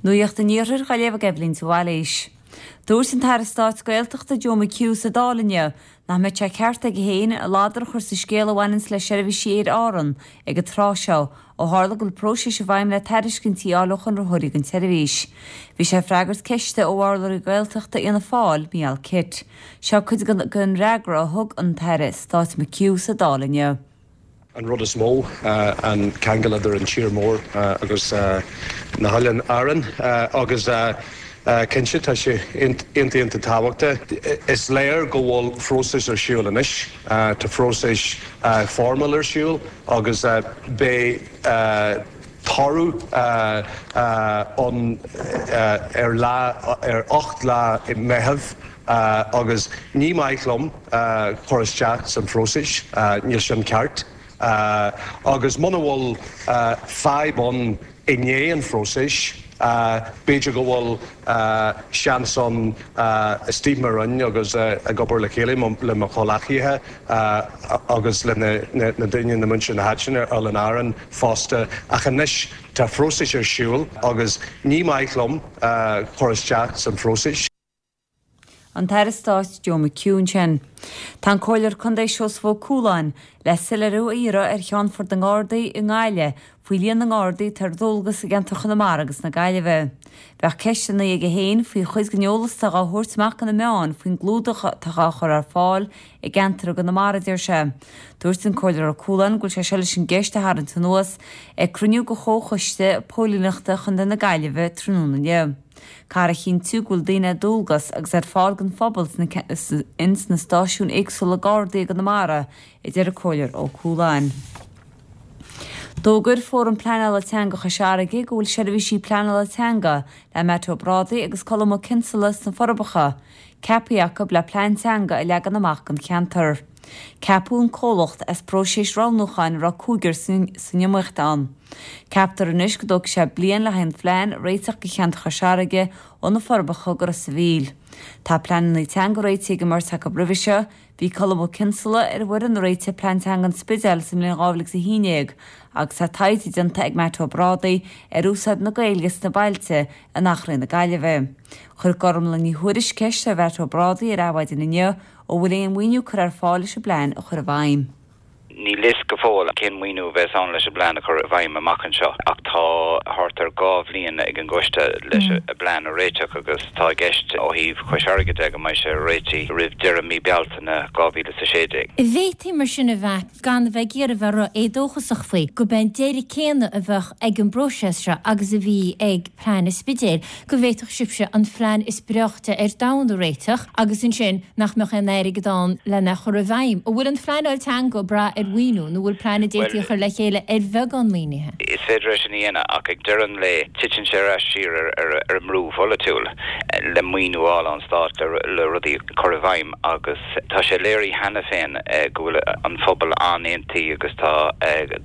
Nuacht an Iarthair á léamh ag Eibhlín de Bhailís. Dúirt an tAire Stáit Gaeltachta Joe McHugh sa Dáil inniu nach mbeadh sé ceart aige féin ladar a chur sa scéal a bhaineanns le seirbhísí Aer Árann ag an tráth seo ó tharla go bhfuil próiseas i bhfeidhm le tairiscintí a fháil ó chonraitheoirí don tseirbhís. Bhí sé ag freagairt ceiste ó urlabhraí Gaeltachta Fhianna Fáil, Micheál Kitt. Seo cuid den fhreagra a thug an tAire Stáit McHugh sa Dáil inniu. An rud is mó, an ceangal idir an tír mór agus na hOileáin Árann agus cinnte tá sé iontach iontach tábhachtach. Is léir go bhfuil phróiseas ar siúl anois, tá phróiseas foirmiúil ar siúl agus beidh toradh ann ar lá, ar 8 lá Meitheamh agus ní maith liom cur isteach san phróiseas, níl sin ceart. Agus muna bhfuil fadhb ann i ndiaidh an phróisis, b'fhéidir go bhfuil seans ann istigh i mo Roinn agus ag obair le chéile le mo chomhleacaithe agus le na daoine, na muintir na háite ar Oileáin Árann fosta. Ach anois tá phróiseas ar siúl agus ní maith liom cur isteach san phróiseas. An tAire Stáit Joe McHugh ansin. Tá an Comhairleoir Contae Seosamh Ó Cualáin le soiléiriú a iarraidh ar Cheannfort na nGardaí i nGaillimh faoi líon na nGardaí atá ar dualgas i gceantar Chonamara agus na Gaillimhe. Bheadh ceisteanna aige féin faoi chuid den eolas atá dhá thabhairt amach do na meáin faoin gclúdach atá dhá chur ar fáil i gceantar i gConamara, a deir sé. Dúirt an Comhairleoir Ó Cualáin go bhfuil sé seo leis an gceist a tharraingt anuas ag cruinniú de Chomhchoiste Póilíneachta Chontae na Gaillimhe tráthnóna inniu. Caithfear a chinntiú go bhfuil daoine ar dualgas agus ar fáil don phobal ins na stáisiúin éagsúla Gardaí i gConamara, a deir an Comhairleoir Ó Cualáin. D'fhógair Fóram Pleanála Teanga Chois Fharraige go bhfuil seirbhísí pleanála teanga le Matt Ó Brádaigh agus Colm Ó Cinnseala sna Forbacha ceaptha acu le plean teanga a leagan amach don cheantar. Ceapadh an comhlacht as próiseas roghnúcháin a raibh cúigear san iomaíocht ann. Ceaptar anois go dtógfaidh sé bliain le haghaidh an phlean a réiteach do cheantar Chois Fharraige ó na Forbacha go Ros a' Mhíl. Tá pleananna teanga réitithe ag an mbeirt acu roimhe seo, bhí Colm Ó Cinnseala ar an bhfoireann a réitigh Plean Teanga an Spidéil sa mbliain 2011 agus tá taighde déanta ag Matt Ó Brádaigh ar úsáid na Gaeilge sna bailte in Achréidh na Gaillimhe. Chuir Gormlaith Ní Thuairisg ceist ar Mhatt Ó Brádaigh ar Adhmhaidin inniu An bhfuil aon mhaoiniú curtha ar fáil leis an bplean a chur i bhfeidhm? Níl fhios go fóill cén maoiniú a bheas ann leis an bplean a chur i bhfeidhm amach anseo ach tá thart ar 2 bhliain ag an gcoiste leis an bplean a réiteach agus tá i gceist ó thaobh Chois Fharraige de go mbeidh sé réitithe roimh deireadh mí Bealtaine 2016. An bhféadfaí mar sin a mheas, gan a bheith ag iarraidh a bheith ró-éadóchasach faoi, gurb é an deireadh céanna a bheadh ag an bpróiseas seo agus a bhí ag plean an Spidéil, go bhféadfadh sibhse an phlean is breáichte ar domhan a réiteach agus ansin nach mbeadh aon airgead ann lena chur i bhfeidhm. An bhfuil an phleanáil teanga ag brath ar mhaoiniú nó an bhfuil plean a d'fhéadfaí a chur le chéile ar bheagán maoinithe? Is féidir é sin a dhéanamh ach ag deireadh an lae titeann sé ar ais siar ar an mbrú pholaitiúil le maoiniú a fháil ón stát le rudaí a chur i bhfeidhm agus tá sé léirithe cheana féin go bhfuil an phobal an-aontaithe agus tá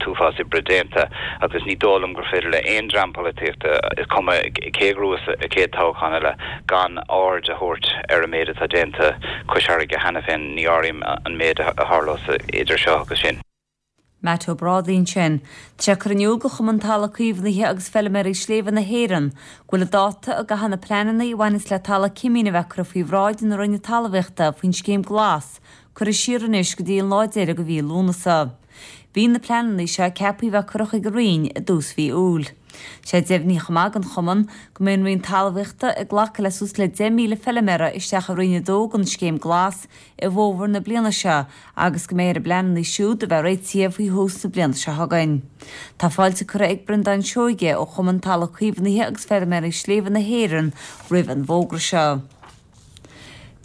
t-uafás oibre déanta agus ní dóigh liom gur féidir le aon dream polaitíochta, is cuma cé a ghnóthós an chéad toghchán eile, gan aird a thabhairt ar an méid atá déanta Cois Fharraige cheana féin, ní áirím an méid a tharlós idir seo agus sin. Matt Ó Brádaigh ansin. Tá sé curtha in iúl do Chumann Talamh Caomhnaithe agus Feilméaraí Sléibhe na hÉireann go bhfuil an dáta a gcaithfidh na pleananna a bhaineas le talamh cimín a bheith curtha faoi bhráid na Roinne Talmhaíochta faoin Scéim Glas curtha siar anois go dtí an lá deiridh de mhí Lúnasa. Bhí na pleananna seo ceaptha a bheith curtha chuig an Roinn i dtús mhí Iúil. Sé deimhnithe chomh maith don Chumann go mbeidh an Roinn Talmhaíochta ag glacadh le suas le 10,000 feilméara isteach i Roinn 2 den Scéim Glas i bhfómhar na bliana seo agus go mbeidh ar a bpleananna siúd a bheith réitithe faoi thús na bliana seo chugainn. Tá fáilte curtha ag Breandán Seoige ó Chumann Talamh Caomhnaithe agus Feilméaraí Sléibhe na hÉireann roimh an bhfógra seo.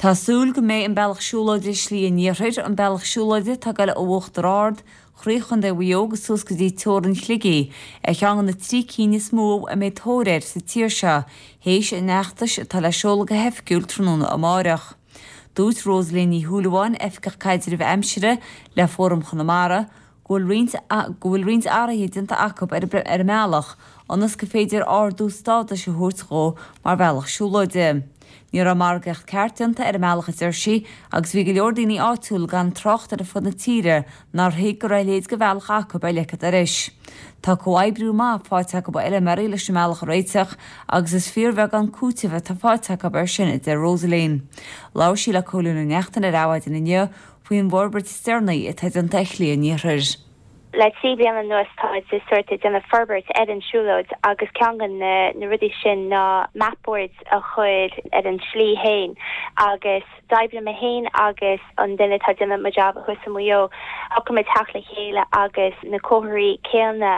Tá súil go mbeidh an bealach siúlóide Slí an Iarthair, an bealach siúlóide atá ag goil ó Uachtar Ard, croí Chontae Mhaigh Eo agus suas go dtí teorainn Shligigh, ar cheann de na trí cinn is mó a mbeidh tóir air sa tír seo, théis an fheachtais atá le seoladh go hoifigiúil tráthnóna amáireach. Dúirt Rosaleen Ní Shúilleabháin, Oifigeach Caidrimh Aimsire le Fóram Chonamara, go bhfuil roinnt go bhfuil roinnt athruithe déanta acu ar an mbealach. ionas gur féidir ardú stádais a thabhairt dhó mar bhealach siúlóide. Ní raibh margaíocht ceart déanta ar an mbealach a deir sí agus bhí go leor daoine áitiúil gan trácht ar fud na tíre nár thuig go raibh a leithéid de bhealach acu ar leic an dorais. Tá comhoibriú maith faighte acu ó fheilméaraí leis an mbealach a réiteach agus is fíorbheagán cúitimh atá faighte acu air sin a deir Rosaleen. Labhair sí le Cóilín Ó Neachtain ar Adhmhaidin inniu faoin bhforbairt is deireanaí atá déanta ar Shlí an Iarthair. Le 3 bliana anuas táid sórt ag déanamh forbairt ar an siúlóid agus ceann de na rudaí sin ná mapboards a chur ar an slí fhéin agus d'oibrigh mé fhéin agus an duine atá ag déanamh mo jab thuas i Maigh Eo, shocraigh muid theacht le chéile agus na comharthaí céanna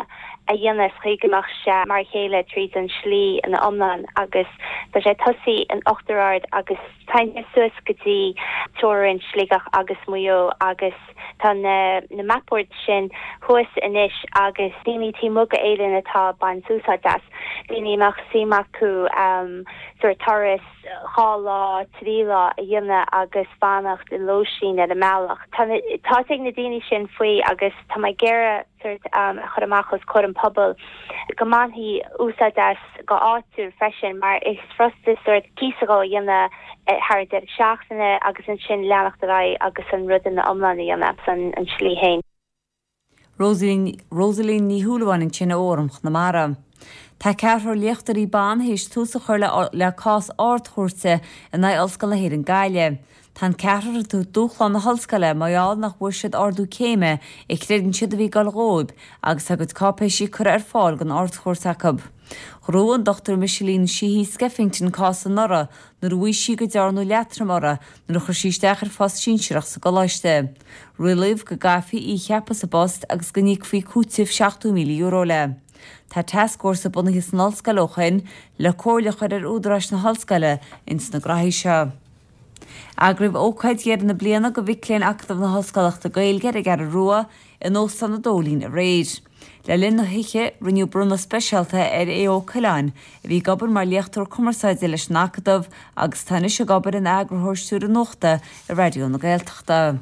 a dhéanamh sa chaoi go mbeadh sé mar a chéile tríd an slí ina iomlán agus tá sé ag tosaí in Uachtar Ard agus téann sé suas go dtí teorainn Sligeach agus Maigh Eo agus Tá na na mapboards sin thuas anois agus daoine taobh amuigh d'Éirinn atá ag baint úsáid as, daoine a mbeadh suim acu sórt turas 2 lá, 3 lá a dhéanamh agus fanacht i lóistín ar an mbealach. Tá tá fhios ag na daoine sin faoi agus tá mé ag iarraidh sórt a chur amach os comhair an pobail go mbainfí úsáid as go áitiúil freisin mar is furasta sórt píosa dhó a dhéanamh thar an deireadh seachtaine agus ansin leanacht ar aghaidh agus an rud ina iomlán a dhéanamh san an slí fhéin. Rosaleen Rosaleen Ní Shúilleabháin ansin ó Fhóram Chonamara. Tá ceathrar léachtóirí ban théis tús a chur le le cás Ard-Chúirte in aghaidh Ollscoil na hÉireann Gaillimh. Tá an ceathrar ag tabhairt dúshlán na hollscoile mar gheall nach bhfuair siad ardú céime a chreideann siad a bhí ag dul dhóibh agus tá a gcuid cáipéisí curtha ar fáil don Ard-Chúirt acu. Ghnóthaigh an Dr Micheline Sheehy Skeffington cás anuraidh nuair a mhaígh sí go dearnadh leatrom uirthi nuair a chuir sí isteach ar phost sinsearach sa gcoláiste. Rialaíodh go gcaithfí í a cheapadh sa bpost agus go n-íocfaí cúiteamh €70,000 léi. Tá tascfhórsa bunaithe san ollscoil ó shin le comhairle a chur ar údaráis na hollscoile ins na graithí seo. Eagraíodh ócáid dheireadh na bliana do mhic léinn Acadamh na hOllscolachta Gaeilge ar an gCeathrú Rua in Óstán an Dóilín aréir. Le linn na hoíche, rinneadh bronnadh speisialta ar Aodh Ó Coileáin, a bhí ag obair mar léachtóir cumarsáide leis an Acadamh agus atá anois ag obair ina eagarthóir stiúrtha nuachta i Raidió na Gaeltachta.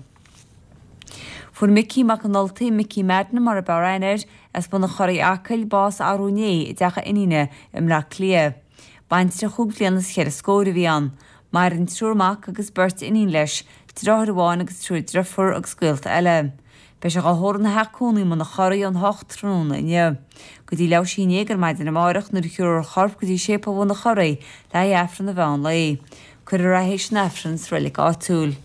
Fuair Micí Mac an Ultaigh, Micí Madden mar a b'fhearr aithne air, as Bun an Churraigh, Acaill, bás arú inné i dteach a iníne i mBleá Cliath. Baintreach chúig bhliana is cheithre scór a bhí ann. Maireann triúr mac agus beirt iníon leis, deartháir amháin agus triúr driofúr agus gaolta eile. Beidh sé dhá thórramh ina theach cónaí i mBun an Churraigh ón 8 tráthnóna inniu. Go dtí leathuair théis a 11 ar maidin amárach nuair a thiúrfar a chorp go dtí Séipéal Bhun an Churraigh le haghaidh Aifreann an mheán lae. Cuirfear é théis an Aifrinn sa reilig áitiúil.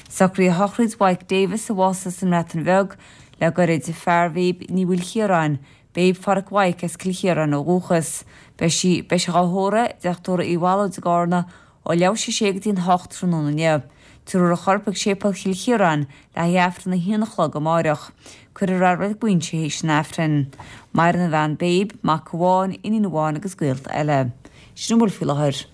Socruithe shochraid Mhaidhc Davis a bhásaigh sa mBreatain Bheag le goirid, fear Mhéab Ní Mhaoilchiaráin, Béab Pháraic Mhaidhc as Cill Chiaráin ó dhúchas. Beidh sí, beidh sé dhá thórramh i dTeach Tórraimh Uí Bhallóid i gCarna ó leathuair théis a sé go dtí an hocht tráthnóna inniu. Tabharfar a chorp ag Séipéal Chill Chiaráin le haghaidh Aifreann a haon a chlog amáireach. Cuirfear é i Reilig Mhuinseo théis an Aifrinn. Maireann a bhean Béab, mac amháin, iníon amháin agus gaolta eile. Sin a bhfuil faoi láthair.